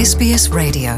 SBS Radio.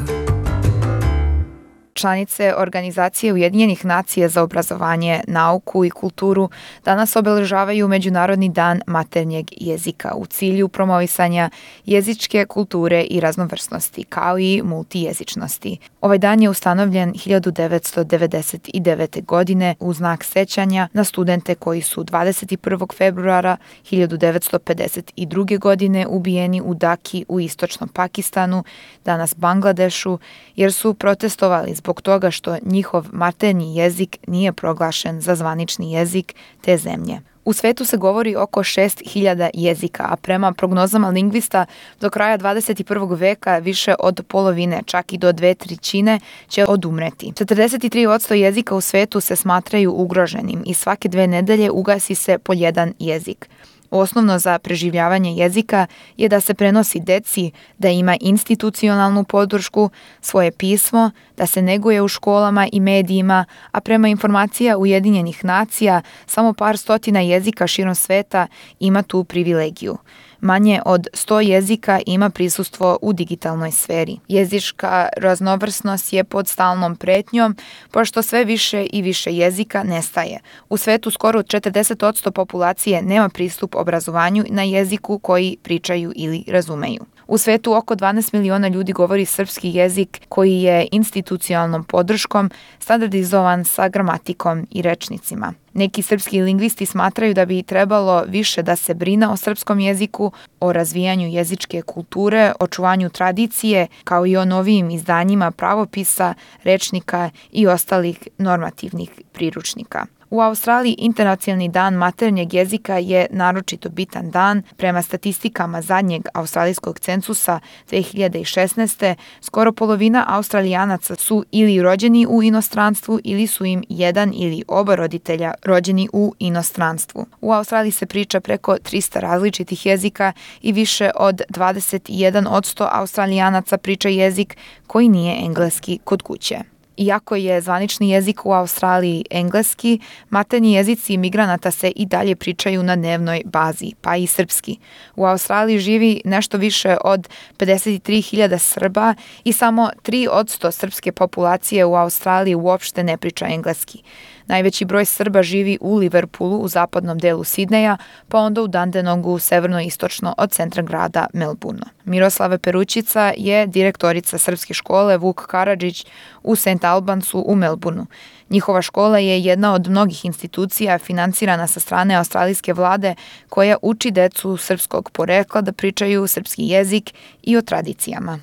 Članice Organizacije Ujedinjenih nacija za obrazovanje, nauku i kulturu danas obeležavaju Međunarodni dan maternjeg jezika u cilju promovisanja jezičke kulture i raznovrsnosti, kao i multijezičnosti. Ovaj dan je ustanovljen 1999. godine u znak sećanja na studente koji su 21. februara 1952. godine ubijeni u Daki u istočnom Pakistanu, danas Bangladešu, jer su protestovali zbog toga što njihov maternji jezik nije proglašen za zvanični jezik te zemlje. U svetu se govori oko 6.000 jezika, a prema prognozama lingvista do kraja 21. veka više od polovine, čak i do 2/3 će odumreti. 43% jezika u svetu se smatraju ugroženim i svake 2 nedelje ugasi se po jedan jezik. Osnovno za preživljavanje jezika je da se prenosi deci, da ima institucionalnu podršku, svoje pismo, da se neguje u školama i medijima, a prema informacija Ujedinjenih nacija samo par stotina jezika širom sveta ima tu privilegiju. Manje od 100 jezika ima prisustvo u digitalnoj sferi. Jezička raznovrsnost je pod stalnom pretnjom, pošto sve više i više jezika nestaje. U svetu skoro 40% populacije nema pristup obrazovanju na jeziku koji pričaju ili razumeju. U svetu oko 12 miliona ljudi govori srpski jezik koji je institucionalnom podrškom standardizovan sa gramatikom i rečnicima. Neki srpski lingvisti smatraju da bi trebalo više da se brine o srpskom jeziku, o razvijanju jezičke kulture, očuvanju tradicije, kao i o novijim izdanjima pravopisa, rečnika i ostalih normativnih priručnika. U Australiji Internacionalni dan maternjeg jezika je naročito bitan dan. Prema statistikama zadnjeg australijskog cenzusa 2016. skoro polovina Australijanaca su ili rođeni u inostranstvu ili su im jedan ili oba roditelja rođeni u inostranstvu. U Australiji se priča preko 300 različitih jezika i više od 21% Australijanaca priča jezik koji nije engleski kod kuće. Iako je zvanični jezik u Australiji engleski, maternji jezici migranata se i dalje pričaju na dnevnoj bazi, pa i srpski. U Australiji živi nešto više od 53.000 Srba i samo 3% srpske populacije u Australiji uopšte ne priča engleski. Najveći broj Srba živi u Liverpoolu u zapadnom delu Sidneja, pa onda u Dandenongu severno-istočno od centra grada Melbourne. Miroslava Perućica je direktorica srpske škole Vuk Karadžić u St. Albansu u Melbourneu. Njihova škola je jedna od mnogih institucija finansirana sa strane australijske vlade koja uči decu srpskog porekla da pričaju srpski jezik i o tradicijama.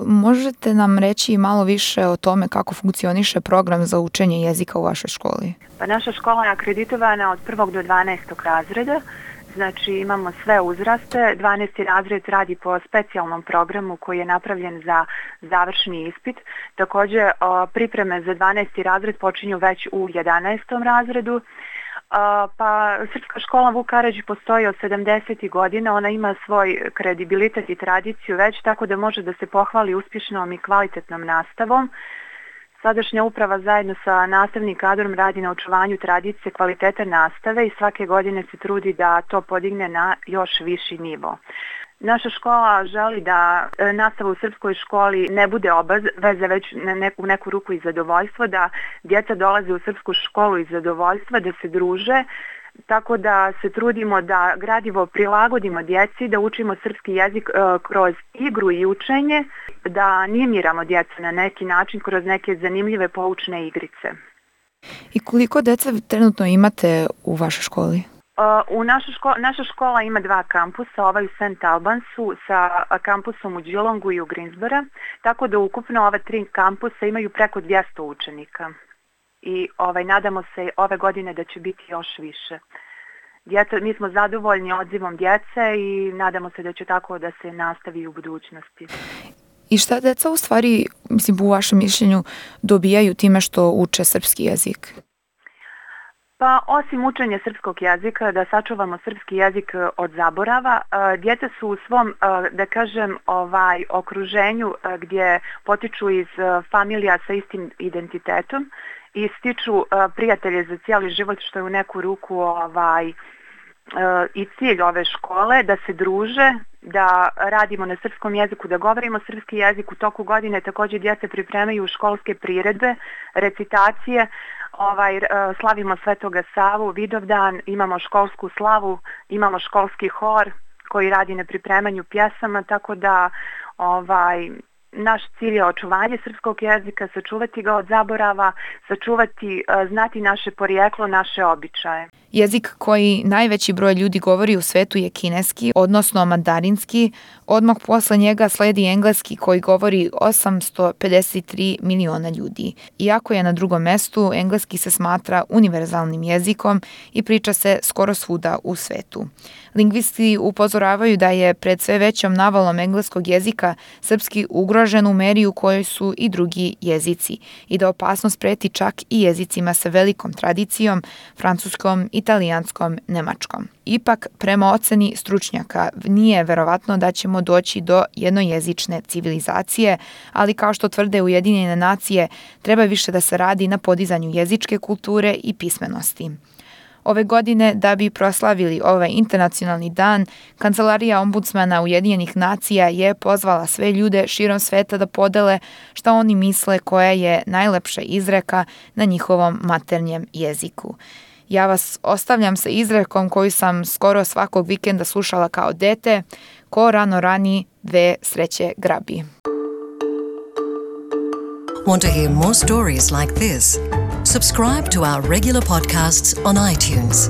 Možete nam reći malo više o tome kako funkcioniše program za učenje jezika u vašoj školi? Pa naša škola je akreditovana od 1. do 12. razreda. Znači imamo sve uzraste. 12. razred radi po specijalnom programu koji je napravljen za završni ispit. Također pripreme za 12. razred počinju već u 11. razredu. Pa Srpska škola Vuk Karadžić postoji od 70. godina, ona ima svoj kredibilitet i tradiciju već, tako da može da se pohvali uspješnom i kvalitetnom nastavom. Sadašnja uprava zajedno sa nastavnim kadrom radi na očuvanju tradicije kvalitete nastave i svake godine se trudi da to podigne na još viši nivo. Naša škola želi da nastava u srpskoj školi ne bude obaveza, već u neku ruku i zadovoljstvo, da djeca dolaze u srpsku školu iz zadovoljstva, da se druže, tako da se trudimo da gradivo prilagodimo djeci, da učimo srpski jezik kroz igru i učenje, da animiramo djecu na neki način kroz neke zanimljive poučne igrice. I koliko deca trenutno imate u vašoj školi? Naša škola ima 2 kampusa, ovaj u St. Albansu sa kampusom u Geelongu i u Greensboro, tako da ukupno ove 3 kampusa imaju preko 200 učenika. I nadamo se ove godine da će biti još više. Mi smo zadovoljni odzivom djece i nadamo se da će tako da se nastavi u budućnosti. I šta deca u stvari, u vašem mišljenju, dobijaju time što uče srpski jezik? Pa osim učenja srpskog jezika, da sačuvamo srpski jezik od zaborava, djeca su u svom, da kažem, okruženju gdje potiču iz familija sa istim identitetom i stiču prijatelje za cijeli život, što je u neku ruku i cilj ove škole da se druže, da radimo na srpskom jeziku, da govorimo srpski jezik. U toku godine također djeca pripremaju školske priredbe, recitacije, slavimo Svetoga Savu, Vidovdan, imamo školsku slavu, imamo školski hor koji radi na pripremanju pjesama, tako da naš cilj je očuvanje srpskog jezika, sačuvati ga od zaborava, znati naše porijeklo, naše običaje. Jezik koji najveći broj ljudi govori u svetu je kineski, odnosno mandarinski. Odmah posle njega sledi engleski koji govori 853 miliona ljudi. Iako je na drugom mestu, engleski se smatra univerzalnim jezikom i priča se skoro svuda u svetu. Lingvisti upozoravaju da je pred sve većom navalom engleskog jezika srpski ugrožen u meri u kojoj su i drugi jezici i da opasnost preti čak i jezicima sa velikom tradicijom, francuskom, italijanskom, nemačkom. Ipak, prema oceni stručnjaka, nije verovatno da ćemo doći do jednojezične civilizacije, ali kao što tvrde Ujedinjene nacije, treba više da se radi na podizanju jezičke kulture i pismenosti. Ove godine, da bi proslavili ovaj internacionalni dan, Kancelarija ombudsmana Ujedinjenih nacija je pozvala sve ljude širom sveta da podele šta oni misle koja je najlepša izreka na njihovom maternjem jeziku. Ja vas ostavljam sa izrekom koju sam skoro svakog vikenda slušala kao dete: ko rano rani, dve sreće grabi. Want to hear more stories like this? Subscribe to our regular podcasts on iTunes.